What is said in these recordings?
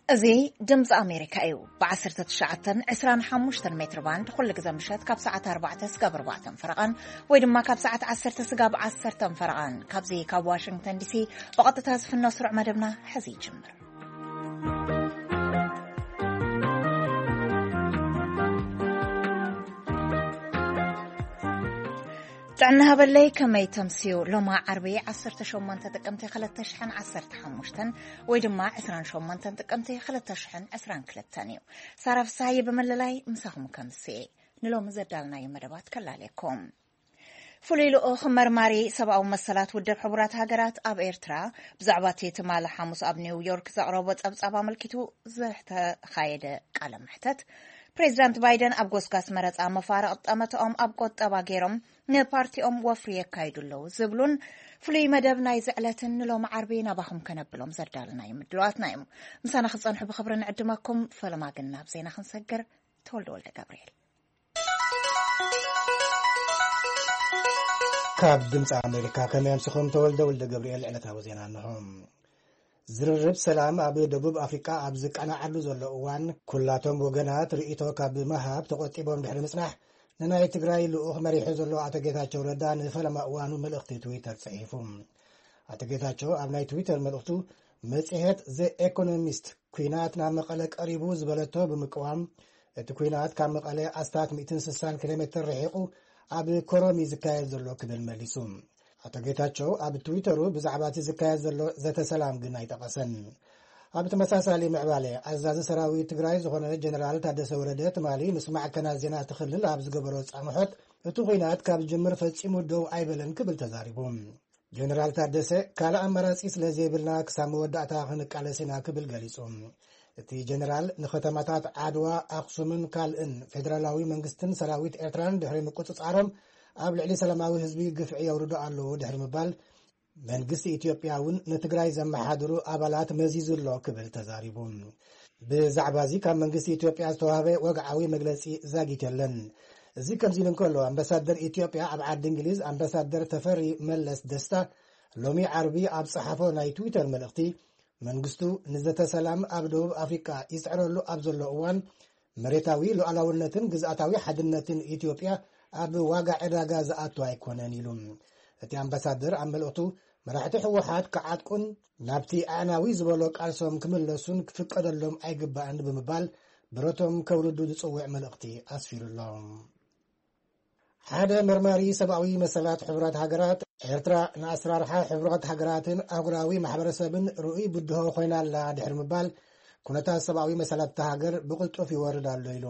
እዚ ድምፂ ኣሜሪካ እዩ። ብ19 25 ሜትር ባንድ ኩሉ ግዜ ምሸት ካብ ሰዓት ኣርባዕተ ስጋብ ኣርባዕተን ፈረቓን ወይ ድማ ካብ ሰዓት ዓሰርተ ስጋብ ዓሰርተን ፈረቓን፣ ካብዚ ካብ ዋሽንግተን ዲሲ ብቐጥታ ዝፍኖ ስሩዕ መደብና ሕዚ ይጅምር። ጥዕና ሃበለይ፣ ከመይ ተምስዩ? ሎማ ዓርቢ ዓሰርተ ሸሞንተ ጥቅምቲ ክልተ ሽሕን ዓሰርተ ሓሙሽተን ወይ ድማ ዕስራን ሸሞንተን ጥቅምቲ ክልተ ሽሕን ዕስራን ክልተን እዩ። ሳራ ፍስሃየ ብምልላይ ምሳኹም ከምስየ። ንሎሚ ዘዳልናዮ መደባት ከላለየኩም። ፍሉይ ልኡኽ መርማሪ ሰብኣዊ መሰላት ውድብ ሕቡራት ሃገራት ኣብ ኤርትራ ብዛዕባ እቲ ትማሊ ሓሙስ ኣብ ኒውዮርክ ዘቕረቦ ጸብጻብ ኣመልኪቱ ዝተኻየደ ቃለ መሕተት፣ ፕሬዚዳንት ባይደን ኣብ ጎስጋስ መረጻ መፋርቕ ጠመተኦም ኣብ ቁጠባ ገይሮም ንፓርቲኦም ወፍሪ የካይዱ ኣለዉ ዝብሉን ፍሉይ መደብ ናይዚ ዕለትን ንሎሚ ዓርቢ ናባኹም ከነብሎም ዘዳለናዮም ምድላዋትና እዮም። ምሳና ክጸንሑ ብኽብሪ ንዕድመኩም። ፈለማ ግን ናብ ዜና ክንሰግር። ተወልደ ወልደ ገብርኤል። ካብ ድምፂ ኣሜሪካ፣ ከመይ ኣምስኹም? ተወልደ ወልደ ገብርኤል። ዕለታዊ ዜና እንሆ። ዝርርብ ሰላም ኣብ ደቡብ ኣፍሪቃ ኣብ ዝቃናዓሉ ዘሎ እዋን፣ ኩላቶም ወገናት ርእይቶ ካብ ምሃብ ተቆጢቦም ድሕሪ ምጽናሕ፣ ንናይ ትግራይ ልኡኽ መሪሑ ዘሎ ኣቶ ጌታቸው ረዳ ንፈለማ እዋኑ መልእኽቲ ትዊተር ጽሒፉ። ኣቶ ጌታቸው ኣብ ናይ ትዊተር መልእኽቱ፣ መጽሔት ዘ ኤኮኖሚስት ኲናት ናብ መቐለ ቀሪቡ ዝበለቶ ብምቅዋም፣ እቲ ኲናት ካብ መቐለ ኣስታት ሚእትን ስሳን ኪሎ ሜትር ርሒቑ ኣብ ኮረም እዩ ዝካየድ ዘሎ ክብል መሊሱ። ኣቶ ጌታቸው ኣብ ትዊተሩ ብዛዕባ እቲ ዝካየድ ዘሎ ዘተ ሰላም ግን ኣይጠቐሰን። ኣብ ተመሳሳሊ ምዕባለ፣ ኣዛዚ ሰራዊት ትግራይ ዝኾነ ጀነራል ታደሰ ወረደ ትማሊ ምስ ማዕከናት ዜና እቲ ክልል ኣብ ዝገበሮ ጻምሖት፣ እቲ ኲናት ካብ ዝጅምር ፈጺሙ ደው ኣይበለን ክብል ተዛሪቡ። ጀነራል ታደሰ፣ ካልእ ኣማራጺ ስለ ዘይብልና ክሳብ መወዳእታ ክንቃለስ ኢና ክብል ገሊጹ። እቲ ጀነራል ንከተማታት ዓድዋ፣ ኣኽሱምን ካልእን ፌደራላዊ መንግስትን ሰራዊት ኤርትራን ድሕሪ ምቁጽጻሮም ኣብ ልዕሊ ሰላማዊ ህዝቢ ግፍዒ የውርዱ ኣለዉ ድሕሪ ምባል፣ መንግስቲ ኢትዮጵያ እውን ንትግራይ ዘመሓድሩ ኣባላት መዚዙ ኣሎ ክብል ተዛሪቡ። ብዛዕባ እዚ ካብ መንግስቲ ኢትዮጵያ ዝተዋህበ ወግዓዊ መግለጺ ዛጊት የለን። እዚ ከምዚ ኢሉ እንከሎ፣ ኣምባሳደር ኢትዮጵያ ኣብ ዓዲ እንግሊዝ ኣምባሳደር ተፈሪ መለስ ደስታ ሎሚ ዓርቢ ኣብ ጸሓፎ ናይ ትዊተር መልእኽቲ፣ መንግስቱ ንዘተ ሰላም ኣብ ደቡብ ኣፍሪቃ ይጽዕረሉ ኣብ ዘሎ እዋን፣ መሬታዊ ሉዓላውነትን ግዝኣታዊ ሓድነትን ኢትዮጵያ ኣብ ዋጋ ዕዳጋ ዝኣቱ ኣይኮነን ኢሉ። እቲ ኣምባሳደር ኣብ መልእኽቱ፣ መራሕቲ ህወሓት ክዓጥቁን ናብቲ ኣዕናዊ ዝበሎ ቃልሶም ክምለሱን ክፍቀደሎም ኣይግባእን ብምባል፣ ብረቶም ከውርዱ ዝጽውዕ መልእኽቲ ኣስፊሩ ኣሎ። ሓደ መርማሪ ሰብኣዊ መሰላት ሕቡራት ሃገራት፣ ኤርትራ ንኣሰራርሓ ሕቡራት ሃገራትን ኣህጉራዊ ማሕበረሰብን ርኡይ ብድሆ ኮይና ኣላ ድሕሪ ምባል፣ ኩነታት ሰብኣዊ መሰላት እታ ሃገር ብቕልጡፍ ይወርድ ኣሎ ኢሉ።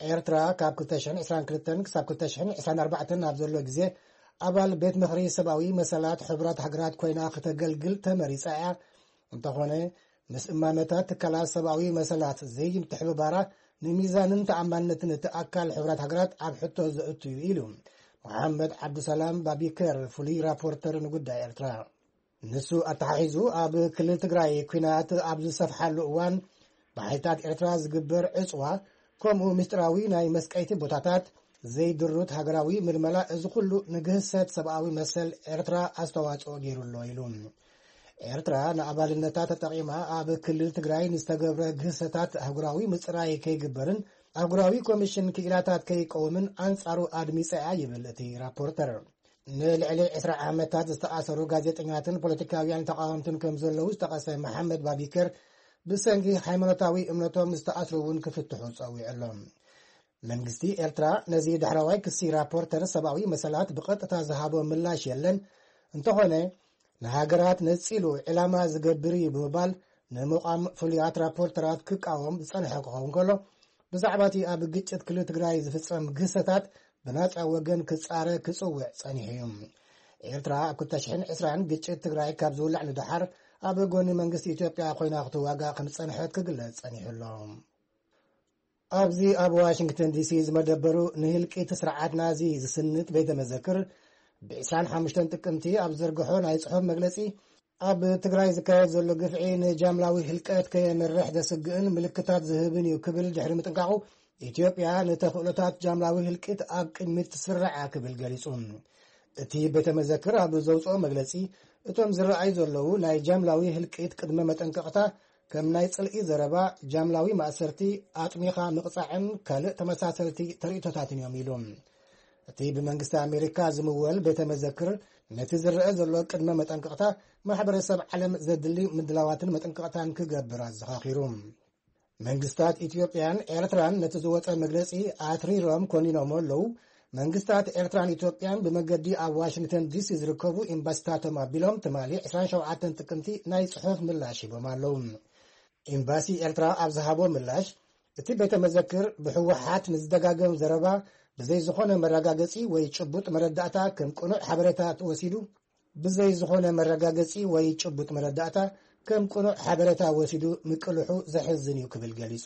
ኤርትራ ካብ ክልተ ሽሕን ዕስራን ክልተን ክሳብ ክልተ ሽሕን ዕስራን ኣርባዕተን ኣብ ዘሎ ግዜ፣ ኣባል ቤት ምኽሪ ሰብኣዊ መሰላት ሕቡራት ሃገራት ኮይና ክተገልግል ተመሪጻ እያ። እንተኾነ፣ ምስ እማመታት ትካላት ሰብኣዊ መሰላት ዘይምትሕብባራ፣ ንሚዛንን ተኣማንነትን እቲ ኣካል ሕቡራት ሃገራት ኣብ ሕቶ ዘእቱ እዩ ኢሉ መሓመድ ዓብዱሰላም ባቢከር፣ ፍሉይ ራፖርተር ንጉዳይ ኤርትራ። ንሱ ኣተሓሒዙ፣ ኣብ ክልል ትግራይ ኲናት ኣብ ዝሰፍሓሉ እዋን፣ ብሓይልታት ኤርትራ ዝግበር ዕጽዋ፣ ከምኡ ምስጢራዊ ናይ መስቀይቲ ቦታታት፣ ዘይድሩት ሃገራዊ ምልመላ፣ እዚ ኩሉ ንግህሰት ሰብኣዊ መሰል ኤርትራ ኣስተዋጽኦ ገይሩ ኣሎ ኢሉ። ኤርትራ ንኣባልነታ ተጠቒማ ኣብ ክልል ትግራይ ንዝተገብረ ግህሰታት ኣህጉራዊ ምጽራይ ከይግበርን ኣህጉራዊ ኮሚሽን ክኢላታት ከይቀውምን ኣንጻሩ ኣድሚጻ እያ ይብል እቲ ራፖርተር። ንልዕሊ ዕስራ ዓመታት ዝተኣሰሩ ጋዜጠኛትን ፖለቲካውያን ተቓወምትን ከም ዘለዉ ዝጠቐሰ መሓመድ ባቢከር፣ ብሰንኪ ሃይማኖታዊ እምነቶም ዝተኣስሩ እውን ክፍትሑ ጸዊዑ ኣሎ። መንግስቲ ኤርትራ ነዚ ዳሕረዋይ ክሲ ራፖርተር ሰብኣዊ መሰላት ብቐጥታ ዝሃቦ ምላሽ የለን። እንተኾነ፣ ንሃገራት ነጺሉ ዕላማ ዝገብር እዩ ብምባል፣ ንምቋም ፍሉያት ራፖርተራት ክቃወም ዝጸንሐ ክኸውን ከሎ፣ ብዛዕባ እቲ ኣብ ግጭት ክልል ትግራይ ዝፍጸም ግህሰታት ብናጻ ወገን ክጻረ ክጽውዕ ጸኒሑ እዩ። ኤርትራ ኣብ ክልተ ሽሕን ዕስራን ግጭት ትግራይ ካብ ዝውላዕ ንደሓር፣ ኣብ ጎኒ መንግስቲ ኢትዮጵያ ኮይና ክትዋጋእ ከም ዝጸንሐት ክግለጽ ጸኒሑ ኣሎ። ኣብዚ ኣብ ዋሽንግተን ዲሲ ዝመደበሩ ንህልቂት ስርዓት ናዚ ዝስንት ቤተ መዘክር፣ ብ ዕስራን ሓሙሽተን ጥቅምቲ ኣብ ዘርግሖ ናይ ጽሑፍ መግለጺ፣ ኣብ ትግራይ ዝካየድ ዘሎ ግፍዒ ንጃምላዊ ህልቀት ከየምርሕ ዘስግእን ምልክታት ዝህብን እዩ ክብል ድሕሪ ምጥንቃቑ፣ ኢትዮጵያ ንተኽእሎታት ጃምላዊ ህልቂት ኣብ ቅድሚት ትስርዓ ክብል ገሊጹ። እቲ ቤተ መዘክር ኣብ ዘውጽኦ መግለጺ፣ እቶም ዝረኣዩ ዘለዉ ናይ ጃምላዊ ህልቂት ቅድመ መጠንቀቕታ ከም ናይ ጽልኢ ዘረባ፣ ጃምላዊ ማእሰርቲ፣ ኣጥሚኻ ምቕጻዕን ካልእ ተመሳሰልቲ ተርእይቶታትን እዮም ኢሉ። እቲ ብመንግስቲ ኣሜሪካ ዝምወል ቤተ መዘክር ነቲ ዝረአ ዘሎ ቅድመ መጠንቀቕታ ማሕበረሰብ ዓለም ዘድሊ ምድላዋትን መጠንቀቕታን ክገብር ኣዘኻኺሩ። መንግስታት ኢትዮጵያን ኤርትራን ነቲ ዝወጸ መግለጺ ኣትሪሮም ኮኒኖሞ ኣለዉ። መንግስታት ኤርትራን ኢትዮጵያን ብመገዲ ኣብ ዋሽንግተን ዲሲ ዝርከቡ ኤምባሲታቶም ኣቢሎም ትማሊ ዕስራን ሸውዓተን ጥቅምቲ ናይ ጽሑፍ ምላሽ ሂቦም ኣለዉ። ኤምባሲ ኤርትራ ኣብ ዝሃቦ ምላሽ፣ እቲ ቤተ መዘክር ብህወሓት ንዝደጋገም ዘረባ ብዘይ ዝኾነ መረጋገጺ ወይ ጭቡጥ መረዳእታ ከም ቅኑዕ ሓበሬታ ተወሲዱ፣ ብዘይ ዝኾነ መረጋገጺ ወይ ጭቡጥ መረዳእታ ከም ቅኑዕ ሓበሬታ ወሲዱ ምቅልሑ ዘሕዝን እዩ ክብል ገሊጹ።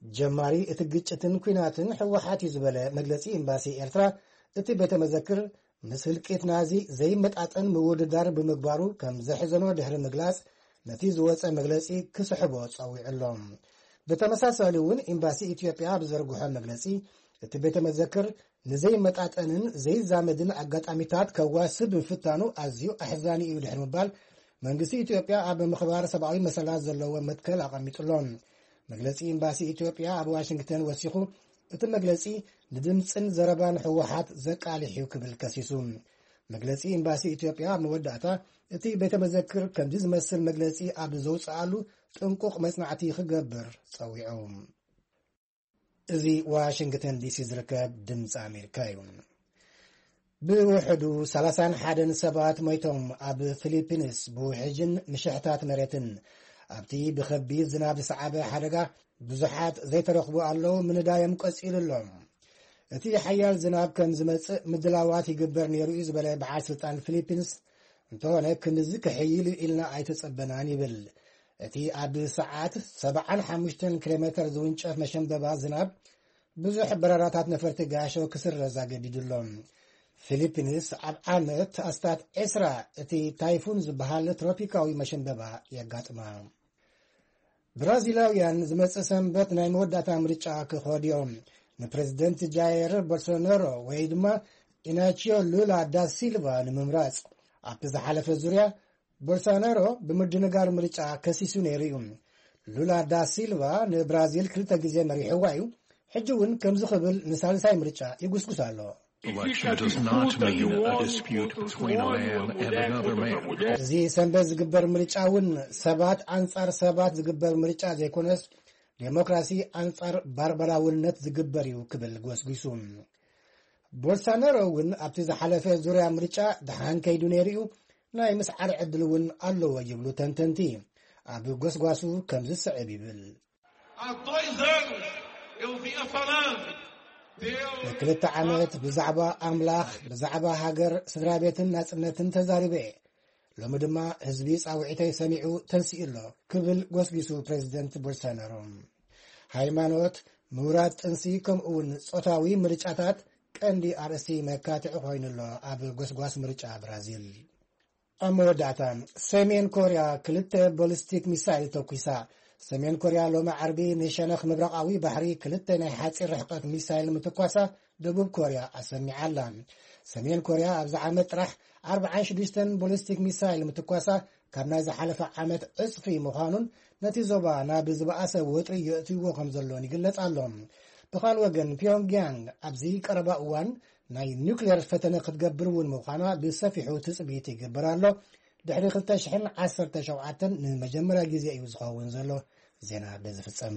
ጀማሪ እቲ ግጭትን ኲናትን ህወሓት እዩ ዝበለ መግለጺ ኤምባሲ ኤርትራ፣ እቲ ቤተ መዘክር ምስ ህልቂት ናዚ ዘይመጣጠን ምውድዳር ብምግባሩ ከም ዘሕዘኖ ድሕሪ ምግላጽ፣ ነቲ ዝወጸ መግለጺ ክስሕቦ ጸዊዑ ኣሎ። ብተመሳሳሊ እውን ኤምባሲ ኢትዮጵያ ኣብ ዘርግሖ መግለጺ፣ እቲ ቤተ መዘክር ንዘይመጣጠንን ዘይዛመድን ኣጋጣሚታት ከዋስብ ምፍታኑ ኣዝዩ ኣሕዛኒ እዩ ድሕሪ ምባል፣ መንግስቲ ኢትዮጵያ ኣብ ምኽባር ሰብኣዊ መሰላት ዘለዎ መትከል ኣቐሚጡ ኣሎ። መግለጺ ኤምባሲ ኢትዮጵያ ኣብ ዋሽንግተን ወሲኹ፣ እቲ መግለጺ ንድምጽን ዘረባን ህወሓት ዘቃልሕ እዩ ክብል ከሲሱ። መግለጺ ኤምባሲ ኢትዮጵያ ኣብ መወዳእታ፣ እቲ ቤተ መዘክር ከምዚ ዝመስል መግለጺ ኣብ ዘውጽኣሉ ጥንቁቕ መጽናዕቲ ክገብር ጸዊዑ። እዚ ዋሽንግተን ዲሲ ዝርከብ ድምፂ ኣሜሪካ እዩ። ብውሕዱ ሰላሳን ሓደን ሰባት ሞይቶም ኣብ ፊሊፒንስ ብውሕጅን ምሽሕታት መሬትን ኣብቲ ብኸቢድ ዝናብ ዝሰዓበ ሓደጋ ብዙሓት ዘይተረኽቡ ኣለዉ፣ ምንዳዮም ቀፂሉ ኣሎ። እቲ ሓያል ዝናብ ከም ዝመፅእ ምድላዋት ይግበር ነይሩ እዩ ዝበለ በዓል ስልጣን ፊሊፒንስ፣ እንተኾነ ክንድዚ ክሕይል እዩ ኢልና ኣይተጸበናን ይብል። እቲ ኣብ ሰዓት ሰብዓን ሓሙሽተን ኪሎ ሜተር ዝውንጨፍ መሸንበባ ዝናብ ብዙሕ በረራታት ነፈርቲ ጋሾ ክስረዝ ኣገዲዱ ኣሎ። ፊሊፒንስ ኣብ ዓመት ኣስታት ዕስራ እቲ ታይፉን ዝበሃል ትሮፒካዊ መሸንበባ የጋጥማ። ብራዚላውያን ዝመጽእ ሰንበት ናይ መወዳእታ ምርጫ ክኸዱ እዮም። ንፕሬዝደንት ጃየር ቦልሶናሮ ወይ ድማ ኢናቺዮ ሉላ ዳ ሲልቫ ንምምራጽ። ኣብቲ ዝሓለፈ ዙርያ፣ ቦልሶናሮ ብምድንጋር ምርጫ ከሲሱ ነይሩ እዩ። ሉላ ዳ ሲልቫ ንብራዚል ክልተ ግዜ መሪሕዋ እዩ። ሕጂ እውን ከምዚ ክብል ንሳልሳይ ምርጫ ይጉስጉስ ኣሎ። Election does not mean a dispute between a man and another man. እዚ ሰንበት ዝግበር ምርጫ እውን ሰባት ኣንጻር ሰባት ዝግበር ምርጫ ዘይኮነስ፣ ዴሞክራሲ ኣንጻር ባርባራውነት ዝግበር እዩ ክብል ጎስጒሱ። ቦልሶናሮ እውን ኣብቲ ዝሓለፈ ዙርያ ምርጫ ደሓን ከይዱ ነይሩ እዩ፣ ናይ ምስዓር ዕድል እውን ኣለዎ ይብሉ ተንተንቲ። ኣብ ጎስጓሱ ከምዚ ስዕብ ይብል። Há dois anos eu vinha falando. Deus ንክልተ ዓመት ብዛዕባ ኣምላኽ፣ ብዛዕባ ሃገር፣ ስድራ ቤትን ናጽነትን ተዛሪበ እየ። ሎሚ ድማ ህዝቢ ጻውዒተይ ሰሚዑ ተንሲኡ ኣሎ ክብል ጎስጒሱ ፕሬዚደንት ቦልሶናሮ። ሃይማኖት፣ ምውራድ ጥንሲ፣ ከምኡ እውን ጾታዊ ምርጫታት ቀንዲ ኣርእስቲ መካትዒ ኮይኑ ኣሎ ኣብ ጎስጓስ ምርጫ ብራዚል። ኣብ መወዳእታ፣ ሰሜን ኮርያ ክልተ ቦሊስቲክ ሚሳይል ተኩሳ። ሰሜን ኮርያ ሎሚ ዓርቢ ንሸነኽ ምብራቓዊ ባሕሪ ክልተ ናይ ሓፂር ርሕቀት ሚሳይል ምትኳሳ ደቡብ ኮርያ ኣሰሚዓ ኣላ። ሰሜን ኮርያ ኣብዚ ዓመት ጥራሕ ኣርብዓን ሽዱሽተን ቦሊስቲክ ሚሳይል ምትኳሳ ካብ ናይ ዝሓለፈ ዓመት ዕፅፊ ምዃኑን ነቲ ዞባ ናብ ዝበኣሰ ወጥሪ የእትይዎ ከም ዘሎን ይግለጽ ኣሎ። ብኻልእ ወገን፣ ፒዮንግያንግ ኣብዚ ቀረባ እዋን ናይ ኒውክሌር ፈተነ ክትገብር እውን ምዃና ብሰፊሑ ትጽቢት ይግበር ኣሎ። ድሕሪ ክልተ ሽሕን ዓሰርተ ሸውዓተን ንመጀመርያ ግዜ እዩ ዝኸውን ዘሎ። ዜና በዚ ፍጸም።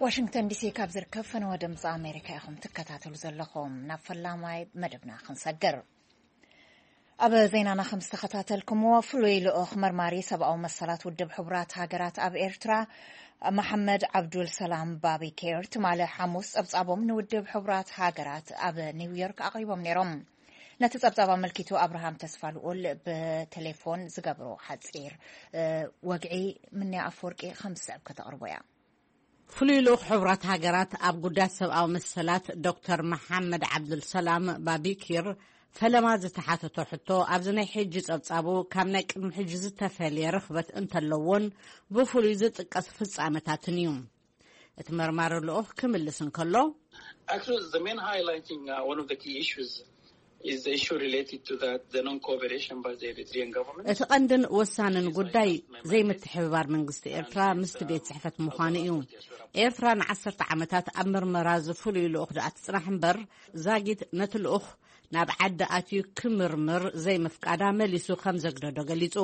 ዋሽንግተን ዲሲ ካብ ዝርከብ ፈነወ ድምፂ ኣሜሪካ ኢኹም ትከታተሉ ዘለኹም። ናብ ፈላማይ መደብና ክንሰግር። ኣብ ዜናና ከም ዝተኸታተልኩምዎ፣ ፍሉይ ልኡኽ መርማሪ ሰብኣዊ መሰላት ውድብ ሕቡራት ሃገራት ኣብ ኤርትራ፣ መሓመድ ዓብዱል ሰላም ባቢኬር፣ ትማሊ ሓሙስ ጸብጻቦም ንውድብ ሕቡራት ሃገራት ኣብ ኒውዮርክ ኣቕሪቦም ነይሮም። ነቲ ጸብጻብ ኣመልኪቱ፣ ኣብርሃም ተስፋ ልኡል ብቴሌፎን ዝገብሮ ሓጺር፣ እ፣ ወግዒ፣ ምንያ ኣፈወርቂ ከም ዝስዕብ ከተቕርቦ እያ። ፍሉይ ልኡኽ ሕቡራት ሃገራት ኣብ ጉዳያት ሰብኣዊ መሰላት ዶክተር መሓመድ ዓብዱልሰላም ባቢኪር ፈለማ ዝተሓተቶ ሕቶ፣ ኣብዚ ናይ ሕጂ ጸብጻቡ ካብ ናይ ቅድሚ ሕጂ ዝተፈልየ ርኽበት እንተለዎን ብፍሉይ ዝጥቀስ ፍጻመታትን እዩ። እቲ መርማሪ ልኡኽ ክምልስ እንከሎ፣ Actually, the main highlighting uh, one of the key issues is the issue related to that the non-cooperation by the Eritrean government. እቲ ቀንድን ወሳንን ጉዳይ ዘይምትሕብባር መንግስቲ ኤርትራ ምስቲ ቤት ጽሕፈት ምዃኑ እዩ። ኤርትራ ንዓሰርተ ዓመታት ኣብ ምርመራ ዝፍሉይ ልኡኽ ደኣ ትጽናሕ እምበር፣ ዛጊት ነቲ ልኡኽ ናብ ዓዲ ኣትዩ ክምርምር ዘይምፍቃዳ መሊሱ ከም ዘግደዶ ገሊጹ።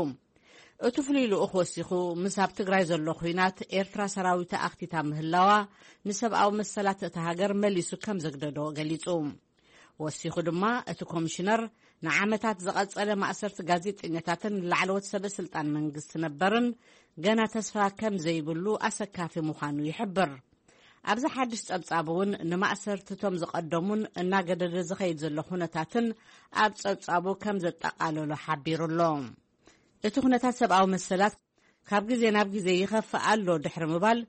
እቲ ፍሉይ ልኡኽ ወሲኹ፣ ምስ ኣብ ትግራይ ዘሎ ኲናት ኤርትራ ሰራዊታ ኣኽቲታ ምህላዋ ንሰብኣዊ መሰላት እታ ሃገር መሊሱ ከም ዘግደዶ ገሊጹ። ወሲኹ ድማ እቲ ኮሚሽነር ንዓመታት ዝቐጸለ ማእሰርቲ ጋዜጠኛታትን ላዕለዎት ሰበ ስልጣን መንግስቲ ነበርን ገና ተስፋ ከም ዘይብሉ ኣሰካፊ ምዃኑ ይሕብር። ኣብዚ ሓድሽ ጸብጻብ እውን ንማእሰርትቶም ዝቐደሙን እናገደደ ዝኸይድ ዘሎ ኩነታትን ኣብ ጸብጻቡ ከም ዘጠቓለሎ ሓቢሩ ኣሎ። እቲ ኩነታት ሰብኣዊ መሰላት ካብ ግዜ ናብ ግዜ ይኸፍእ ኣሎ ድሕሪ ምባል፣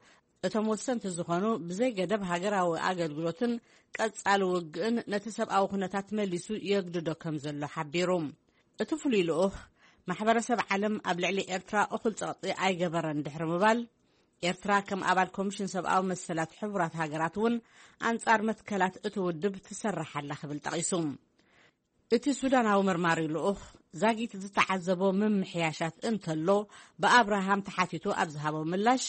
እቶም ወሰንቲ ዝኾኑ ብዘይ ገደብ ሃገራዊ ኣገልግሎትን ቀጻሊ ውግእን ነቲ ሰብኣዊ ኩነታት መሊሱ የግድዶ ከም ዘሎ ሓቢሩ። እቲ ፍሉይ ልኡኽ፣ ማሕበረሰብ ዓለም ኣብ ልዕሊ ኤርትራ እኹል ጸቕጢ ኣይገበረን ድሕሪ ምባል፣ ኤርትራ ከም ኣባል ኮሚሽን ሰብኣዊ መሰላት ሕቡራት ሃገራት እውን ኣንጻር መትከላት እቲ ውድብ ትሰርሕ ኣላ ክብል ጠቒሱ። እቲ ሱዳናዊ መርማሪ ልኡኽ ዛጊት ዝተዓዘቦ ምምሕያሻት እንተሎ ብኣብርሃም ተሓቲቱ ኣብ ዝሃቦ ምላሽ፣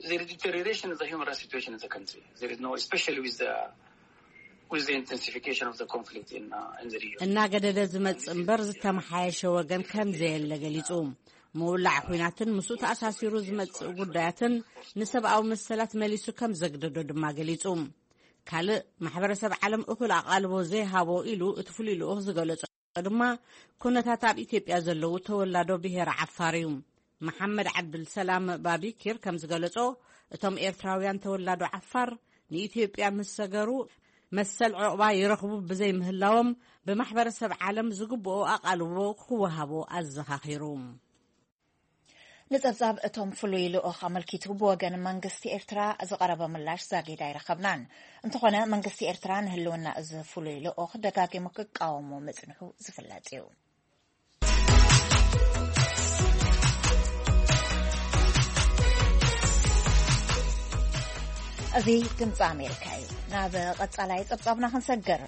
The deterioration of the human rights situation in the country. There is no, especially with the with the intensification of the conflict in uh, in the region. እናገደደ ዝመጽእ እምበር ዝተመሓየሸ ወገን ከም ዘየለ ገሊጹ። ምውላዕ ኲናትን ምስኡ ተኣሳሲሩ ዝመጽእ ጉዳያትን ንሰብኣዊ መሰላት መሊሱ ከም ዘግደዶ ድማ ገሊጹ። ካልእ ማሕበረሰብ ዓለም እኹል ኣቓልቦ ዘይሃቦ ኢሉ እቲ ፍሉይ ልኡኽ ዝገለጾ ድማ ኩነታት ኣብ ኢትዮጵያ ዘለዉ ተወላዶ ብሄር ዓፋር እዩ። መሓመድ ዓብዱልሰላም ባቢኪር ከም ዝገለጾ፣ እቶም ኤርትራውያን ተወላዶ ዓፋር ንኢትዮጵያ ምስ ሰገሩ መሰል ዕቑባ ይረኽቡ ብዘይምህላዎም ብማሕበረሰብ ዓለም ዝግብኦ ኣቓልቦ ክወሃቦ ኣዘኻኺሩ። ንጸብጻብ እቶም ፍሉይ ልኡኽ ኣመልኪቱ ብወገን መንግስቲ ኤርትራ ዝቐረበ ምላሽ ዛጊድ ኣይረኸብናን። እንተኾነ መንግስቲ ኤርትራ ንህልውና እዚ ፍሉይ ልኡኽ ደጋጊሙ ክቃወሞ ምጽንሑ ዝፍለጥ እዩ። እዚ ድምፂ ኣሜሪካ እዩ። ናብ ቀጻላይ ጸብጻብና ክንሰግር፣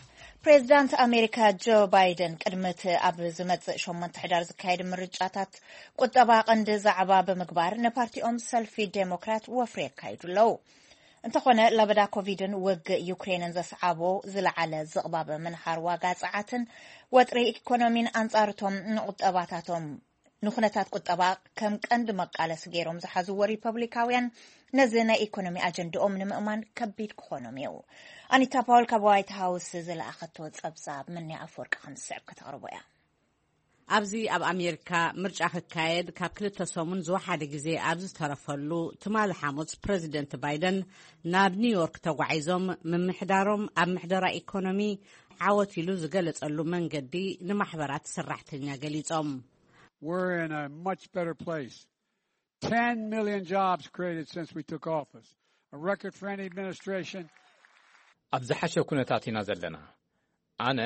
ፕሬዚዳንት ኣሜሪካ ጆ ባይደን ቅድሚ እቲ ኣብ ዝመጽእ ሸሞንተ ሕዳር ዝካየድ ምርጫታት ቁጠባ ቀንዲ ዛዕባ ብምግባር ንፓርቲኦም ሰልፊ ዴሞክራት ወፍሪ የካይዱ ኣለዉ። እንተኾነ ለበዳ ኮቪድን ውግእ ዩክሬንን ዘስዓቦ ዝለዓለ ዝቕባበ ምንሃር ዋጋ ጸዓትን ወጥሪ ኢኮኖሚን ኣንጻርቶም ንቁጠባታቶም ንኩነታት ቁጠባ ከም ቀንዲ መቃለሲ ገይሮም ዝሓዝዎ ሪፐብሊካውያን ነዚ ናይ ኢኮኖሚ ኣጀንድኦም ንምእማን ከቢድ ክኾኖም እዩ። ኣኒታ ፓውል ካብ ዋይት ሃውስ ዝለኣኸቶ ጸብጻብ ምንያ ኣፈወርቂ ከም ዝስዕብ ከተቕርቦ እያ። ኣብዚ ኣብ ኣሜሪካ ምርጫ ክካየድ ካብ ክልተ ሰሙን ዝወሓደ ግዜ ኣብ ዝተረፈሉ ትማሊ ሓሙስ ፕረዚደንት ባይደን ናብ ኒውዮርክ ተጓዒዞም ምምሕዳሮም ኣብ ምሕደራ ኢኮኖሚ ዓወት ኢሉ ዝገለጸሉ መንገዲ ንማሕበራት ሰራሕተኛ ገሊጾም። We're in a much better place. Ten million jobs created since we took office. A record for any administration. ኣብ ዝሓሸ ኩነታት ኢና ዘለና። ኣነ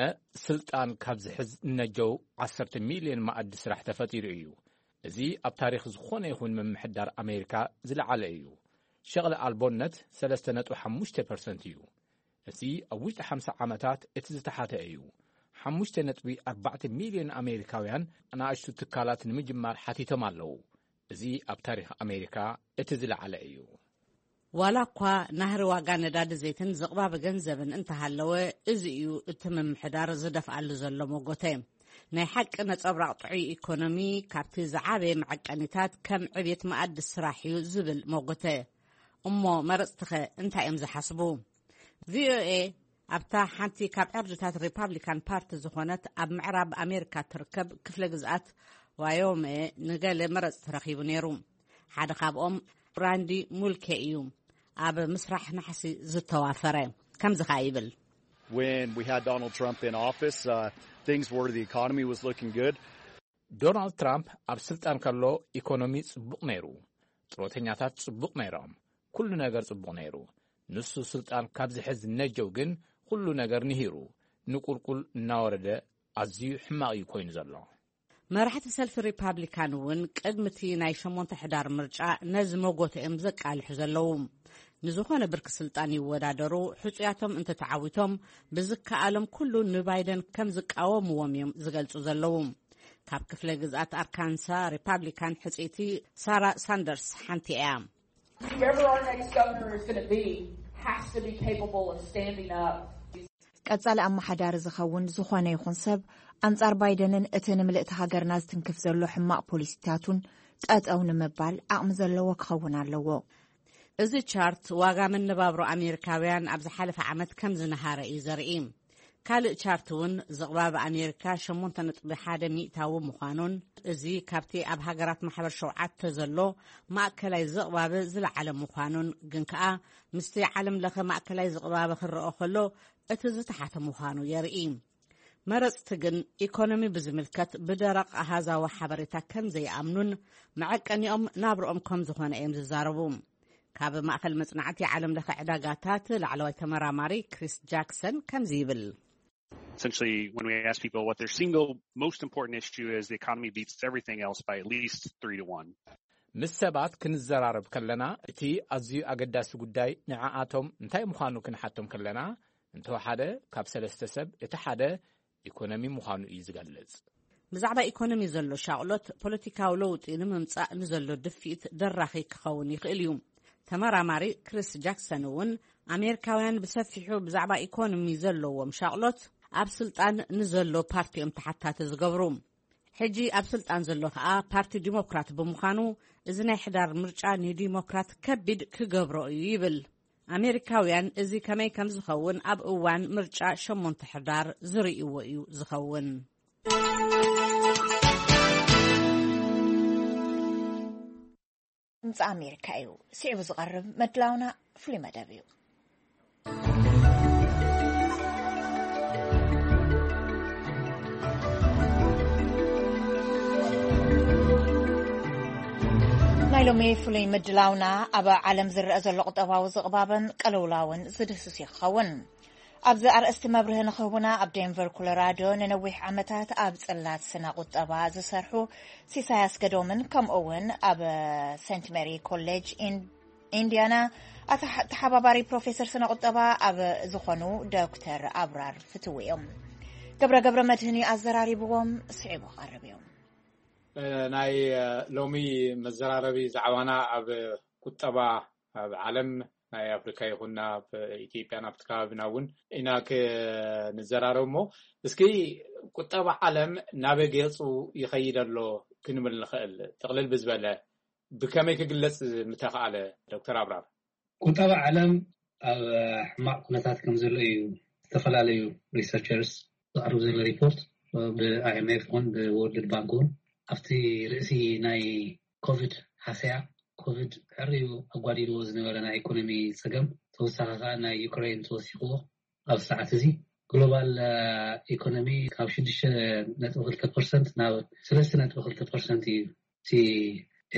ስልጣን ካብ ዝሕዝ እነጀው ዓሰርተ ሚልዮን መኣዲ ስራሕ ተፈጢሩ እዩ። እዚ ኣብ ታሪኽ ዝኾነ ይኹን ምምሕዳር ኣሜሪካ ዝለዓለ እዩ። ሸቕሊ ኣልቦነት ሰለስተ ነጥቢ ሓሙሽተ ፐርሰንት እዩ። እዚ ኣብ ውሽጢ ሓምሳ ዓመታት እቲ ዝተሓተ እዩ። ሓሙሽተ ነጥቢ ኣርባዕተ ሚልዮን ኣሜሪካውያን ኣናእሽቱ ትካላት ንምጅማር ሓቲቶም ኣለዉ። እዚ ኣብ ታሪኽ ኣሜሪካ እቲ ዝለዓለ እዩ። ዋላ እኳ ናህሪ ዋጋ ነዳዲ ዘይትን ዝቕባበ ገንዘብን እንተሃለወ፣ እዚ እዩ እቲ ምምሕዳር ዝደፍኣሉ ዘሎ መጎተ። ናይ ሓቂ ነጸብራቕ ጥዑይ ኢኮኖሚ፣ ካብቲ ዝዓበየ መዐቀኒታት ከም ዕብየት መኣዲ ስራሕ እዩ ዝብል መጎተ። እሞ መረጽትኸ እንታይ እዮም ዝሓስቡ? ቪኦኤ ኣብታ ሓንቲ ካብ ዕርድታት ሪፓብሊካን ፓርቲ ዝኾነት ኣብ ምዕራብ ኣሜሪካ ትርከብ ክፍለ ግዝኣት ዋዮሜ ንገለ መረጽቲ ረኺቡ ነይሩ። ሓደ ካብኦም ብራንዲ ሙልኬ እዩ። ኣብ ምስራሕ ናሕሲ ዝተዋፈረ ከምዚ ኸኣ ይብል። When we had Donald Trump in office, uh, things were, the economy was looking good. ዶናልድ ትራምፕ ኣብ ስልጣን ከሎ ኢኮኖሚ ጽቡቕ ነይሩ። ጥሮተኛታት ጽቡቕ ነይሮም። ኩሉ ነገር ጽቡቕ ነይሩ። ንሱ ስልጣን ካብ ዝሕዝ ነጀው ግን ኩሉ ነገር ንሂሩ፣ ንቁልቁል እናወረደ ኣዝዩ ሕማቕ እዩ ኮይኑ ዘሎ። መራሕቲ ሰልፊ ሪፓብሊካን እውን ቅድሚ እቲ ናይ ሸሞንተ ሕዳር ምርጫ ነዚ መጎተ እዮም ዘቃልሑ ዘለዉ። ንዝኾነ ብርኪ ስልጣን ይወዳደሩ፣ ሕጹያቶም እንተተዓዊቶም ብዝከኣሎም ኩሉ ንባይደን ከም ዝቃወምዎም እዮም ዝገልጹ ዘለዉ። ካብ ክፍለ ግዝኣት ኣርካንሳ ሪፓብሊካን ሕጽይቲ ሳራ ሳንደርስ ሓንቲ እያ። Whoever our next governor is going to be has to be capable of standing up. ቀጻሊ ኣመሓዳሪ ዝኸውን ዝኾነ ይኹን ሰብ ኣንጻር ባይደንን እቲ ንምልእቲ ሃገርና ዝትንክፍ ዘሎ ሕማቕ ፖሊሲታቱን ጠጠው ንምባል ዓቕሚ ዘለዎ ክኸውን ኣለዎ። እዚ ቻርት ዋጋ መነባብሮ ኣሜሪካውያን ኣብ ዝሓለፈ ዓመት ከም ዝነሃረ እዩ ዘርኢ። ካልእ ቻርት እውን ዝቕባብ ኣሜሪካ ሸሞንተ ነጥቢ ሓደ ሚእታዊ ምዃኑን፣ እዚ ካብቲ ኣብ ሃገራት ማሕበር ሸውዓተ ዘሎ ማእከላይ ዝቕባብ ዝለዓለ ምዃኑን፣ ግን ከኣ ምስቲ ዓለም ለኸ ማእከላይ ዝቕባብ ክረኦ ከሎ እቲ ዝተሓተ ምዃኑ የርኢ። መረጽቲ ግን ኢኮኖሚ ብዝምልከት ብደረቕ ኣሃዛዊ ሓበሬታ ከም ዘይኣምኑን መዐቀኒኦም ናብርኦም ከም ዝኾነ እዮም ዝዛረቡ። ካብ ማእኸል መጽናዕቲ ዓለም ለኸ ዕዳጋታት ላዕለዋይ ተመራማሪ ክሪስ ጃክሰን ከምዚ ይብል። Essentially, when we ask people what their single most important issue is, the economy beats everything else by at least three to one. ምስ ሰባት ክንዘራረብ ከለና እቲ ኣዝዩ ኣገዳሲ ጉዳይ ንዓኣቶም እንታይ ምዃኑ ክንሓቶም ከለና፣ እንተወሓደ ካብ ሰለስተ ሰብ እቲ ሓደ ኢኮኖሚ ምዃኑ እዩ ዝገልጽ። ብዛዕባ ኢኮኖሚ ዘሎ ሻቕሎት ፖለቲካዊ ለውጢ ንምምጻእ ንዘሎ ድፍኢት ደራኺ ክኸውን ይኽእል እዩ። ተመራማሪ ክሪስ ጃክሰን እውን ኣሜሪካውያን ብሰፊሑ ብዛዕባ ኢኮኖሚ ዘለዎም ሻቕሎት ኣብ ስልጣን ንዘሎ ፓርቲ እዮም ተሓታቲ ዝገብሩ። ሕጂ ኣብ ስልጣን ዘሎ ከኣ ፓርቲ ዲሞክራት ብምዃኑ፣ እዚ ናይ ሕዳር ምርጫ ንዲሞክራት ከቢድ ክገብሮ እዩ ይብል። ኣሜሪካውያን እዚ ከመይ ከም ዝኸውን ኣብ እዋን ምርጫ ሸሞንተ ሕዳር ዝርእይዎ እዩ ዝኸውን። ድምፂ ኣሜሪካ እዩ። ስዒቡ ዝቐርብ መድላውና ፍሉይ መደብ እዩ። ናይ ሎሚ ፍሉይ ምድላውና ኣብ ዓለም ዝረአ ዘሎ ቁጠባዊ ዝቕባብን ቅልውላውን ዝድህስስ እዩ ክኸውን። ኣብዚ ኣርእስቲ መብርሂ ንኽህቡና ኣብ ዴንቨር ኮሎራዶ ንነዊሕ ዓመታት ኣብ ጽላት ስነ ቁጠባ ዝሰርሑ ሲሳይ ኣስገዶምን ከምኡ እውን ኣብ ሴንት ሜሪ ኮሌጅ ኢንዲያና ተሓባባሪ ፕሮፌሰር ስነ ቁጠባ ኣብ ዝኾኑ ዶክተር ኣብራር ፍትዊ እዮም። ገብረ ገብረ መድህን እዩ ኣዘራሪብዎም። ስዒቡ ክቐርብ እዮም። ናይ ሎሚ መዘራረቢ ዛዕባና ኣብ ቁጠባ ኣብ ዓለም ናይ ኣፍሪካ ይኹን ናብ ኢትዮጵያ ናብቲ ከባቢና እውን ኢና ክንዘራረብ እሞ እስኪ ቁጠባ ዓለም ናበይ ገፁ ይኸይድ ኣሎ ክንብል ንኽእል ጥቕልል ብዝበለ ብከመይ ክግለፅ ምተኽኣለ ዶክተር ኣብራር? ቁጠባ ዓለም ኣብ ሕማቕ ኩነታት ከም ዘሎ እዩ ዝተፈላለዩ ሪሰርቸርስ ዘቕርብ ዘሎ ሪፖርት ብ IMF ይኹን ብ World Bank እውን ኣብቲ ርእሲ ናይ ኮቪድ ሃሰያ ኮቪድ ሕርዩ ኣጓዲልዎ ዝነበረ ናይ ኢኮኖሚ ፀገም ተወሳኺ ከዓ ናይ ዩክሬን ተወሲኽዎ ኣብዚ ሰዓት እዚ ግሎባል ኢኮኖሚ ካብ ሽዱሽተ ነጥቢ ክልተ ፐርሰንት ናብ ሰለስተ ነጥቢ ክልተ ፐርሰንት እዩ እቲ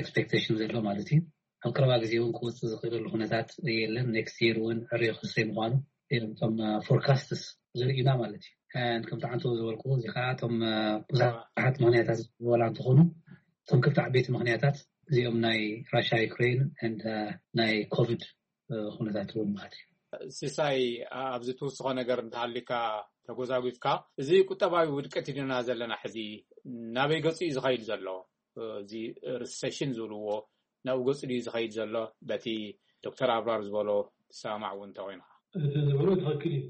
ኤክስፔክቴሽን ዘሎ ማለት እዩ። ኣብ ቀረባ ግዜ እውን ክወፅእ ዝኽእለሉ ኩነታት የለን። ኔክስት የር እውን ዕርዮ ክሰይ ምኳኑ እዮም እቶም ፎርካስትስ ዘርእዩና ማለት እዩ። ከምቲ ዓንተው ዝበልኩ እዚ ከዓ እቶም ብዙሓት ምክንያታት ዝወላ እንትኾኑ እቶም ክልተ ዓበይቲ ምክንያታት እዚኦም ናይ ራሻ ዩክሬን ናይ ኮቪድ ኩነታት እውን ማለት እዩ። ሲሳይ ኣብዚ ትውስኾ ነገር እንተሃሊካ ተጎዛጒፍካ እዚ ቁጠባዊ ውድቀት ኢልና ዘለና ሕዚ ናበይ ገፁ እዩ ዝኸይድ ዘሎ? እዚ ሪሰሽን ዝብልዎ ናብኡ ገፁ ድዩ ዝኸይድ ዘሎ? በቲ ዶክተር ኣብራር ዝበሎ ትሰማማዕ እውን እንተኮይንካ። እቲ ዝበሎ ትኽክል እዩ።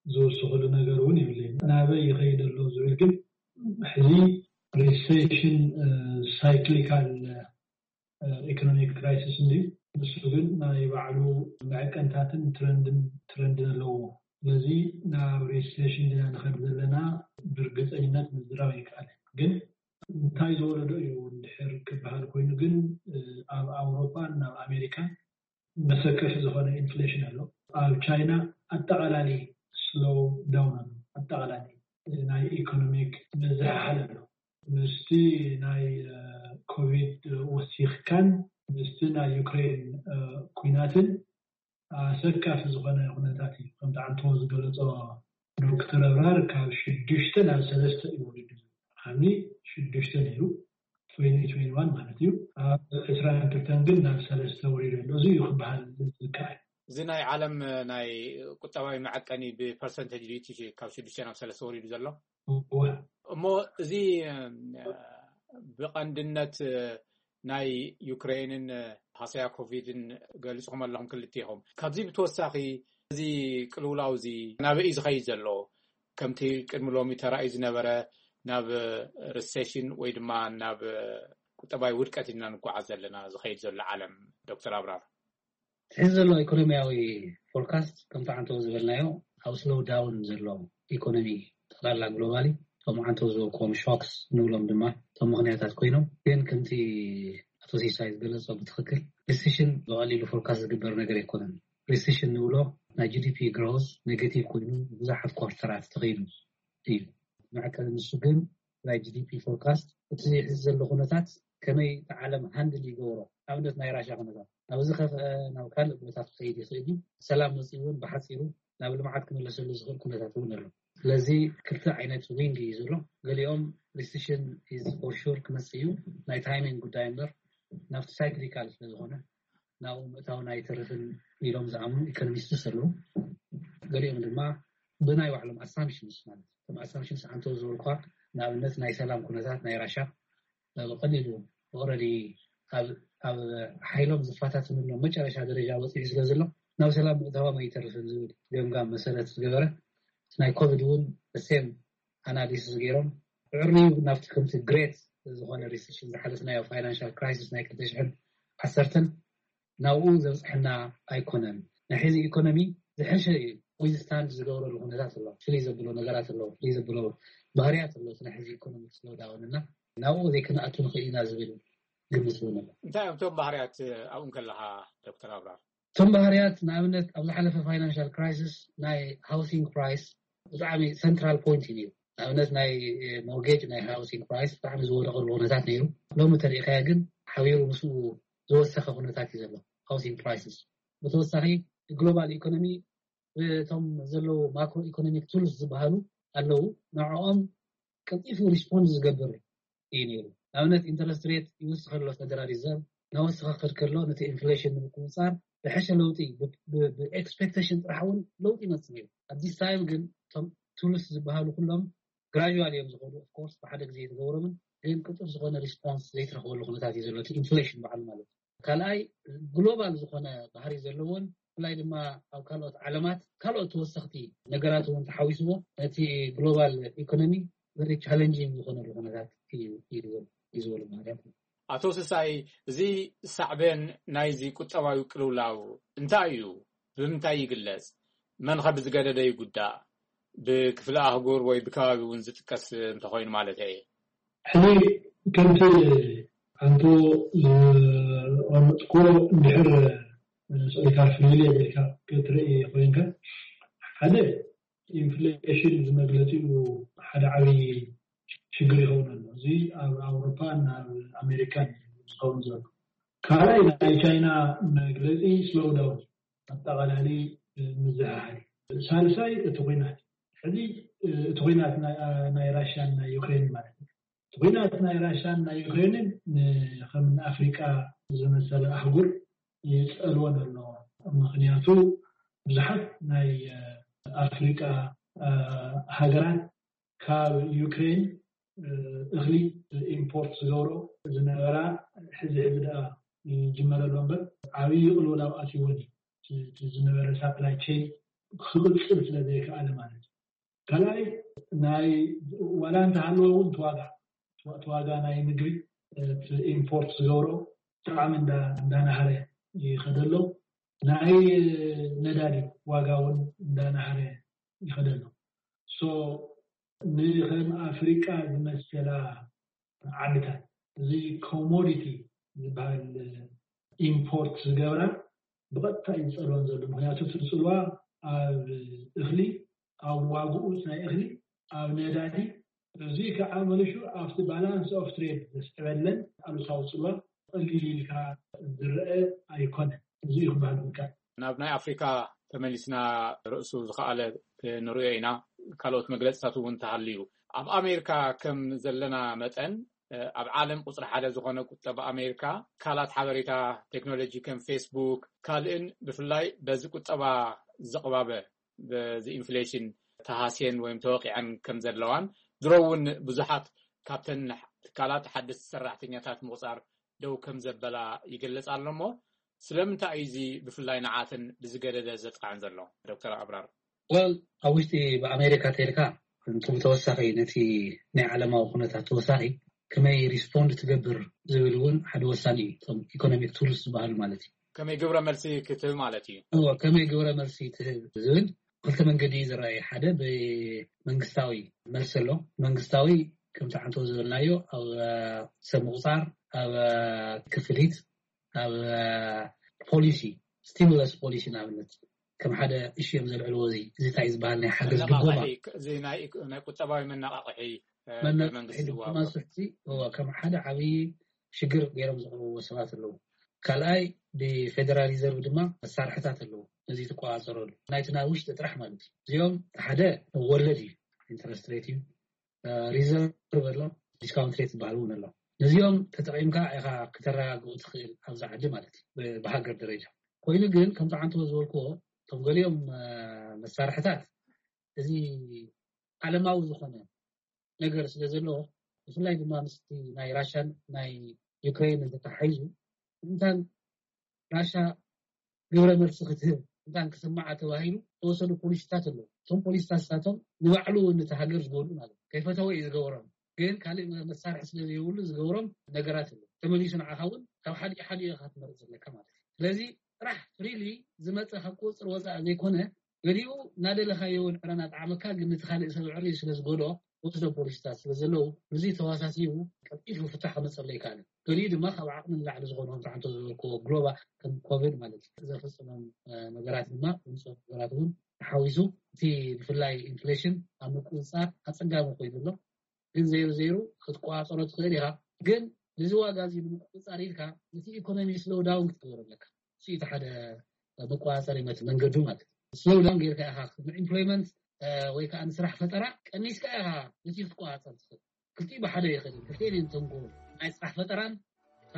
ዝውስኽሉ ነገር እውን የብለይን። ናበይ ይኸይድ ኣሎ ዝብል ግን ሕዚ ሪሴሽን ሳይክሊካል ኢኮኖሚክ ክራይሲስ እንድዩ። ንሱ ግን ናይ ባዕሉ መዐቀንታትን ትረንድን ትረንድን ኣለዎ። ስለዚ ናብ ሪሴሽን ዲና ንኸድ ዘለና ብርግፀኝነት ምዝራብ ኣይከኣልን። ግን እንታይ ዝወለዶ እዩ እንድሕር ክበሃል ኮይኑ ግን ኣብ ኣውሮፓን ናብ ኣሜሪካን መሰከፊ ዝኾነ ኢንፍሌሽን ኣሎ። ኣብ ቻይና ኣጠቓላሊ ስሎው ዳውን ኣሎ። ኣጠቓላሊ ናይ ኢኮኖሚክ ምዝሕሓል ኣሎ። ምስቲ ናይ ኮቪድ ወሲኽካን ምስቲ ናይ ዩክሬን ኩናትን ኣሰካፊ ዝኾነ ኩነታት እዩ። ከምቲ ዓንቶ ዝገለጾ ዶክተር ኣብራር ካብ ሽዱሽተ ናብ ሰለስተ እዩ ወሪዱ። ዓሚ ሽዱሽተ ነይሩ ትዌንቲ ትዌንቲ ዋን ማለት እዩ። ኣብ ዕስራን ክልተን ግን ናብ ሰለስተ ወሪዱ ኣሎ። እዚ እዩ ክበሃል ዝከኣል። እዚ ናይ ዓለም ናይ ቁጠባዊ መዐቀኒ ብፐርሰንቴጅ ድዩ እቲ ካብ ሽዱሽተ ናብ ሰለስተ ወሪዱ ዘሎ? እወ። እሞ እዚ እም፣ ብቐንድነት ናይ ዩክሬንን ሃሰያ ኮቪድን ገሊጽኹም ኣለኹም ክልቲኹም። ካብዚ ብተወሳኺ እዚ ቅልውላው እዚ ናበይ እዩ ዝኸይድ ዘሎ? ከምቲ ቅድሚ ሎሚ ተራእዩ ዝነበረ ናብ ሪሴሽን ወይ ድማ ናብ ቁጠባዊ ውድቀት ኢና ንጓዓዝ ዘለና ዝኸይድ ዘሎ ዓለም? ዶክተር ኣብራር። ሕዚ ዘሎ ኢኮኖሚያዊ ፎርካስት ከምቲ ዓንተው ዝበልናዮ ኣብ ስሎው ዳውን ዘሎ ኢኮኖሚ ጠቕላላ ግሎባሊ፣ እቶም ዓንተው ዝበልክዎም ሾክስ ንብሎም ድማ እቶም ምኽንያታት ኮይኖም፣ ግን ከምቲ ኣቶ ሲሳይ ዝገለጾ ብትኽክል ሪሲሽን ብቐሊሉ ፎርካስት ዝግበር ነገር ኣይኮነን። ሪሲሽን ንብሎ ናይ ጂ ዲ ፒ ግሮዝ ኔጌቲቭ ኮይኑ ብዙሓት ኳርተራት ተኸይዱ እዩ። መዐቀኒ ንሱ ግን ናይ ጂ ዲ ፒ ፎርካስት እቲ ሕዚ ዘሎ ኩነታት ከመይ እቲ ዓለም ሃንድል ይገብሮ፣ ኣብነት ናይ ራሻ ኩነታት ናብ ዝኸፍአ ናብ ካልእ ቦታት ክኸይድ ይኽእል እዩ። ሰላም መፅኡ እውን ብሓፂሩ ናብ ልምዓት ክምለሰሉ ዝኽእል ኩነታት እውን ኣሎ። ስለዚ ክልተ ዓይነት ዊንግ እዩ ዘሎ። ገሊኦም ሪሲሽን ኢዝ ፎር ሹር ክመፅእ እዩ፣ ናይ ታይሚንግ ጉዳይ እምበር ናብቲ ሳይክሊካል ስለዝኾነ ናብኡ ምእታውን ኣይተርፍን ኢሎም ዝኣምኑ ኢኮኖሚስትስ ኣለዉ። ገሊኦም ድማ ብናይ ባዕሎም ኣሳምፕሽንስ ማለት እቶም ኣሳምፕሽንስ ዓንተው ዝበልኳ ንኣብነት ናይ ሰላም ኩነታት ናይ ራሻ ብቐሊሉ ኦረዲ ኣብ ሓይሎም ዝፈታትንሎም መጨረሻ ደረጃ በፂሑ ስለ ዘሎ ናብ ሰላም ምእታዎም ኣይተርፍን ዝብል ገምጋም መሰረት ዝገበረ ናይ ኮቪድ እውን ሴም ኣናሊሲስ ገይሮም ዕርዩ ናብቲ ከምቲ ግሬት ዝኾነ ሪሲሽን ዝሓለፍናዮ ፋይናንሻል ክራይሲስ ናይ ክልተ ሽሕን ዓሰርተን ናብኡ ዘብፅሐና ኣይኮነን። ናይ ሕዚ ኢኮኖሚ ዝሐሸ እዩ ዊዝስታንድ ዝገብረሉ ኩነታት ኣሎ። ፍልይ ዘብሎ ነገራት ኣሎ፣ ፍልይ ዘብሎ ባህርያት ኣሎ። እቲ ናይ ሕዚ ኢኮኖሚ ስሎዳውን እና ናብኡ ዘይክንኣቱ ንኽእል ኢና ዝብል ግምት እውን ኣሎ። እንታይ እዮም እቶም ባህርያት ኣብኡ ከለኻ ዶክተር ኣብራር? እቶም ባህርያት ንኣብነት ኣብ ዝሓለፈ ፋይናንሻል ክራይሲስ ናይ ሃውሲንግ ፕራይስ ብጣዕሚ ሰንትራል ፖይንት እዩ ነይሩ። ንኣብነት ናይ ሞርጌጅ ናይ ሃውሲንግ ፕራይስ ብጣዕሚ ዝወደቐሉ ኩነታት ነይሩ። ሎሚ ተሪእኻዮ ግን ሓቢሩ ምስኡ ዝወሰኸ ኩነታት እዩ ዘሎ ሃውሲንግ ፕራይስስ። ብተወሳኺ ግሎባል ኢኮኖሚ እቶም ዘለዉ ማክሮ ኢኮኖሚክ ቱልስ ዝበሃሉ ኣለዉ፣ ንዕኦም ቀልጢፉ ሪስፖንድ ዝገብር እዩ ነይሩ። ንኣብነት ኢንተረስት ሬት ይውስኽ ኣሎ፣ ፌደራል ሪዘርቭ ናወስኸ ክድ ከሎ ነቲ ኢንፍሌሽን ንምቁፅፃር ዝሐሸ ለውጢ ብኤክስፔክቴሽን ጥራሕ እውን ለውጢ ይመፅእ ነይሩ። ኣብ ዲስ ታይም ግን እቶም ቱልስ ዝበሃሉ ኩሎም ግራጁዋል እዮም ዝኸዱ። ኦፍኮርስ ብሓደ ግዜ የተገብሮምን ግን ቅጡፍ ዝኾነ ሪስፖንስ ዘይትረኽበሉ ኩነታት እዩ ዘሎ፣ እቲ ኢንፍሌሽን በዓሉ ማለት እዩ። ካልኣይ ግሎባል ዝኾነ ባህሪ ዘለዎን ብፍላይ ድማ ኣብ ካልኦት ዓለማት ካልኦት ተወሰኽቲ ነገራት እውን ተሓዊስዎ ነቲ ግሎባል ኢኮኖሚ ቨሪ ቻለንጂንግ ዝኾነሉ ኩነታት እዩ እዩ ዝበሉ ባህርያት። ኣቶ ስሳይ፣ እዚ ሳዕቤን ናይዚ ቁጠባዊ ቅልውላው እንታይ እዩ? ብምንታይ ይግለጽ? መን ኸ ብዝገደደ ይጉዳእ? ብክፍለ ኣህጉር ወይ ብከባቢ እውን ዝጥቀስ እንተኾይኑ ማለት እየ። ሕዚ ከምቲ ኣንቶ ዝቐመጥኮ እንድሕር ስቕኢልካ ፍልልይ ኣቢልካ ክትርኢ ኮይንካ ሓደ ኢንፍሌሽን ዝመግለፂኡ ሓደ ዓብዪ ሽግር ይኸውን ኣሎ። እዚ ኣብ ኣውሮፓን ኣብ ኣሜሪካን ዝኸውን ዘሎ። ካልኣይ ናይ ቻይና መግለፂ ስሎው ዳውን ኣጠቓላሊ ምዝሕሓል። ሳልሳይ እቲ ኩናት ሕዚ እቲ ኩናት ናይ ራሽያን ናይ ዩክሬን ማለት እዩ። እቲ ኩናት ናይ ራሽያን ናይ ዩክሬንን ከም ኣፍሪቃ ዝመሰለ ኣህጉር ይፀልወን ኣሎ። ምክንያቱ ብዙሓት ናይ ኣፍሪቃ ሃገራት ካብ ዩክሬን እኽሊ ኢምፖርት ዝገብሮ ዝነበራ ሕዚ ሕዚ ደኣ ይጅመረሎ እምበር ዓብዪ ቅልውላው ኣትይወን እዩ። ዝነበረ ሳፕላይ ቼን ክቕፅል ስለ ዘይከኣለ ማለት እዩ። ካልኣይ ናይ ዋላ እንተሃለወ እውን እቲ ዋጋ እቲ ዋጋ ናይ ምግቢ እቲ ኢምፖርት ዝገብሮ ብጣዕሚ እንዳናሃረ ይኸደሎ። ናይ ነዳዲ ዋጋ እውን እንዳናሃረ ይኸደሎ። ሶ ንከም ኣፍሪቃ ዝመሰላ ዓድታት እዚ ኮሞዲቲ ዝበሃል ኢምፖርት ዝገብራ ብቐጥታ እዩ ዝፀልወን ዘሎ። ምክንያቱ እቲ ፅልዋ ኣብ እኽሊ፣ ኣብ ዋግኡ ናይ እኽሊ፣ ኣብ ነዳዲ፣ እዚ ከዓ መሊሹ ኣብቲ ባላንስ ኦፍ ትሬድ ዘስዕበለን ኣሉታዊ ፅልዋ ቀሊል ኢልካ ዝረአ ኣይኮነን። እዚ እዩ ክበሃል ዝከኣል። ናብ ናይ ኣፍሪካ ተመሊስና ርእሱ ዝኸኣለ ንሪኦ ኢና። ካልኦት መግለፅታት እውን እንተሃልዩ ኣብ ኣሜሪካ ከም ዘለና መጠን ኣብ ዓለም ቁፅሪ ሓደ ዝኾነ ቁጠባ ኣሜሪካ፣ ትካላት ሓበሬታ ቴክኖሎጂ ከም ፌስቡክ ካልእን ብፍላይ በዚ ቁጠባ ዘቕባበ፣ በዚ ኢንፍሌሽን ተሃስየን ወይም ተወቂዐን ከም ዘለዋን፣ ድሮ እውን ብዙሓት ካብተን ትካላት ሓደስቲ ሰራሕተኛታት ምቑፃር ደው ከም ዘበላ ይገልጽ ኣሎ። እሞ ስለምንታይ እዩ እዚ ብፍላይ ንዓተን ብዝገደደ ዘጥቃዕን ዘሎ? ዶክተር ኣብራር። ወል ኣብ ውሽጢ ብኣሜሪካ ተልካ፣ እንቱ ብተወሳኺ ነቲ ናይ ዓለማዊ ኩነታት ተወሳኺ ከመይ ሪስፖንድ ትገብር ዝብል እውን ሓደ ወሳኒ እዩ። እቶም ኢኮኖሚክ ቱልስ ዝበሃሉ ማለት እዩ። ከመይ ግብረ መልሲ ክትህብ ማለት እዩ። እዎ፣ ከመይ ግብረ መልሲ ትህብ ዝብል ክልተ መንገዲ እዩ ዝረኣይ። ሓደ ብመንግስታዊ መልሲ ኣሎ። መንግስታዊ ከምቲ ዓንተው ዝበልናዮ ኣብ ሰብ ምቁፃር፣ ኣብ ክፍሊት፣ ኣብ ፖሊሲ፣ ስቲሙለስ ፖሊሲ ንኣብነት ከም ሓደ እሺ እዮም ዘልዕልዎ። እዚ እዚ እንታይ እዩ ዝበሃል ናይ ሓገዝ ድጎማ? መናቃቕሒ፣ እዚ ናይ ኢኮ- ናይ ቁጠባዊ መናቃቕሒ፣ እ፣ መናቃቕሒ መንግስቲ ድጎማ ዝዋሃቦ። ስሕቲ እዎ፣ ከም ሓደ ዓብዪ ሽግር ገይሮም ዘቕርብዎ ሰባት ኣለዉ። ካልኣይ ብፌደራል ሪዘርቭ ድማ መሳርሕታት ኣለዉ ነዚ ትቆፃፀረሉ፣ ናይቲ ናብ ውሽጢ ጥራሕ ማለት እዩ። እዚኦም ሓደ ወለድ እዩ፣ ኢንተረስት ሬት እዩ፣ ሪዘርቭ ኣሎ፣ ዲስካውንት ሬት ዝበሃል እውን ኣሎ። ነዚኦም ተጠቒምካ ኢኻ ክተረጋግኡ ትኽእል ኣብዚ ዓዲ ማለት እዩ፣ ብ- ብሃገር ደረጃ። ኮይኑ ግን ከምቲ ዓንተቦ ዝበልክዎ፣ እቶም ገሊኦም መሳርሕታት እዚ ዓለማዊ ዝኾነ ነገር ስለ ዘለዎ፣ ብፍላይ ድማ ምስቲ ናይ ራሻን ናይ ዩክሬን እንተተሓሒዙ፣ እንታን ራሻ ግብረ መልሲ ክትህብ እንታን ክስምዓ ተባሂሉ ዝተወሰዱ ፖሊሲታት ኣለዉ። እቶም ፖሊሲታት ንሳቶም ንባዕሉ እውን ነቲ ሃገር ዝጎድኡ ማለት እዩ። ከይፈተወ እዩ ዝገብሮም፣ ግን ካልእ መሳርሒ ስለ ዘይብሉ ዝገብሮም ነገራት ኣለዉ። ተመሊሱ ንዓኻ እውን ካብ ሓደ ሓደ ኢኻ ክትመርፅ ዘለካ ማለት እዩ። ስለዚ ጥራሕ ፍሪሊ ዝመፀ ካብ ቁፅር ወፃኢ ዘይኮነ፣ ገሊኡ እናደለኻዮ እውን ዕረ እናጠዓመካ፣ ግን ነቲ ካልእ ሰብ ዕሪ ስለ ዝጎድኦ ወስዶ ፖሊሲታት ስለ ዘለዉ፣ እዚ ተዋሳሲቡ ቀልጢፉ ፍታሕ ከመፀሉ ኣይከኣልን። ገሊኡ ድማ ካብ ዓቕሚ ንላዕሊ ዝኾኑ ከም ተዓንቶ ዝበልክዎ ግሎባል ከም ኮቪድ ማለት እዩ ዘፈፀሞም ነገራት ድማ ውፅኦ ነገራት እውን ተሓዊሱ፣ እቲ ብፍላይ ኢንፍሌሽን ኣብ ምቁፅፃር ኣፀጋሚ ኮይኑ ኣሎ። ግን ዘይሩ ዘይሩ ክትቆፃፀሮ ትኽእል ኢኻ። ግን ነዚ ዋጋ እዚ ንምቁፅፃር ኢልካ ነቲ ኢኮኖሚ ስሎው ዳውን ክትገብር ኣለካ። እዚ እቲ ሓደ መቆፃፀሪ መት መንገዱ ማለት እዩ። ስሎው ዳውን ጌርካ ኢኻ ንኢምፕሎይመንት ወይ ከዓ ንስራሕ ፈጠራ ቀኒስካ ኢኻ ነቲ ክትቆፃፀር ትኽእል። ክልቲኡ ብሓደ ይኽእል። ክልቲኤን እየን ተንኮል፣ ናይ ስራሕ ፈጠራን እታ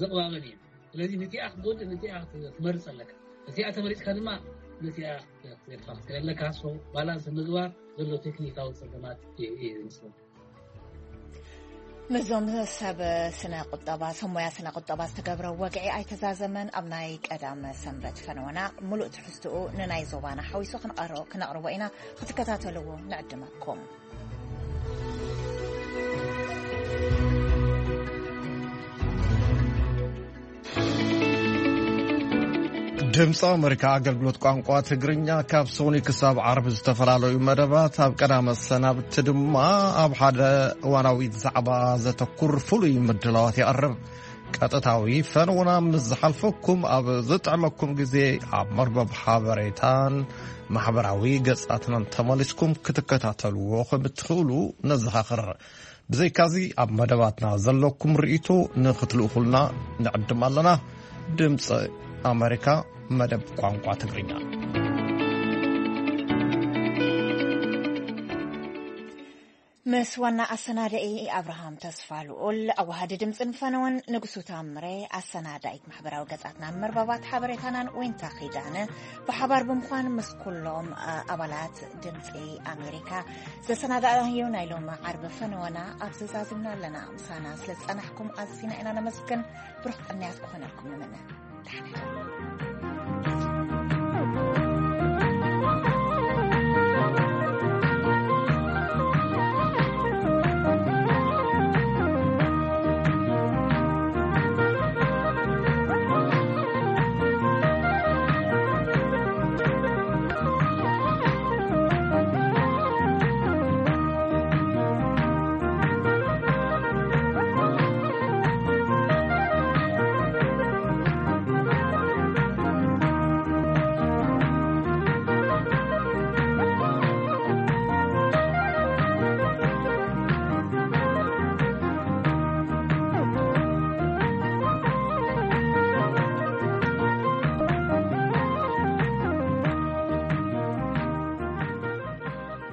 ዘቕባበን እየን። ስለዚ ነቲኣ ክትጎድእ ነቲኣ ክትመርፅ ኣለካ። እቲኣ ተመሪፅካ ድማ ነቲኣ ክትገድፋ ክትኽእል ኣለካ። ሶ ባላንስ ምግባር ዘሎ ቴክኒካዊ ፀገማት እዩ ዝመስለኒ። ምስዞም ሰብ ስነ ቁጠባ፣ ሰብ ሞያ ስነ ቁጠባ ዝተገብረ ወግዒ ኣይተዛዘመን። ኣብ ናይ ቀዳመ ሰንበት ፈነወና ምሉእ ትሕዝትኡ ንናይ ዞባና ሓዊሱ ክንቐሮ- ክነቕርቦ ኢና። ክትከታተልዎ ንዕድመኩም። ድምፂ ኣመሪካ ኣገልግሎት ቋንቋ ትግርኛ ካብ ሰኑይ ክሳብ ዓርቢ ዝተፈላለዩ መደባት፣ ኣብ ቀዳመ ሰናብቲ ድማ ኣብ ሓደ እዋናዊ ዛዕባ ዘተኩር ፍሉይ ምድላዋት የቕርብ። ቀጥታዊ ፈነውና ምስ ዝሓልፈኩም ኣብ ዝጥዕመኩም ግዜ ኣብ መርበብ ሓበሬታን ማሕበራዊ ገጻትናን ተመሊስኩም ክትከታተልዎ ከም እትኽእሉ ነዘኻኽር። ብዘይካዚ ኣብ መደባትና ዘለኩም ርእይቶ ንኽትልእኹልና ንዕድም ኣለና። ድምፂ ኣመሪካ መደብ ቋንቋ ትግርኛ። ምስ ዋና ኣሰናዳኢ ኣብርሃም ተስፋ ልኡል፣ ኣዋሃዲ ድምፅን ፈነወን ንጉሱ ታምሬ፣ ኣሰናዳኢት ማሕበራዊ ገጻትናን መርበባት ሓበሬታናን ዊንታ ኪዳነ ብሓባር ብምዃን ምስ ኩሎም ኣባላት ድምፂ ኣሜሪካ ዘሰናዳእናዮ ናይ ሎሚ ዓርቢ ፈነወና ኣብዚ ዛዚምና ኣለና። ምሳና ስለ ዝጸናሕኩም ኣዚና ኢና ነመስግን። ብሩኽ ቅንያት ክኾነልኩም ንምነ። ደሓና።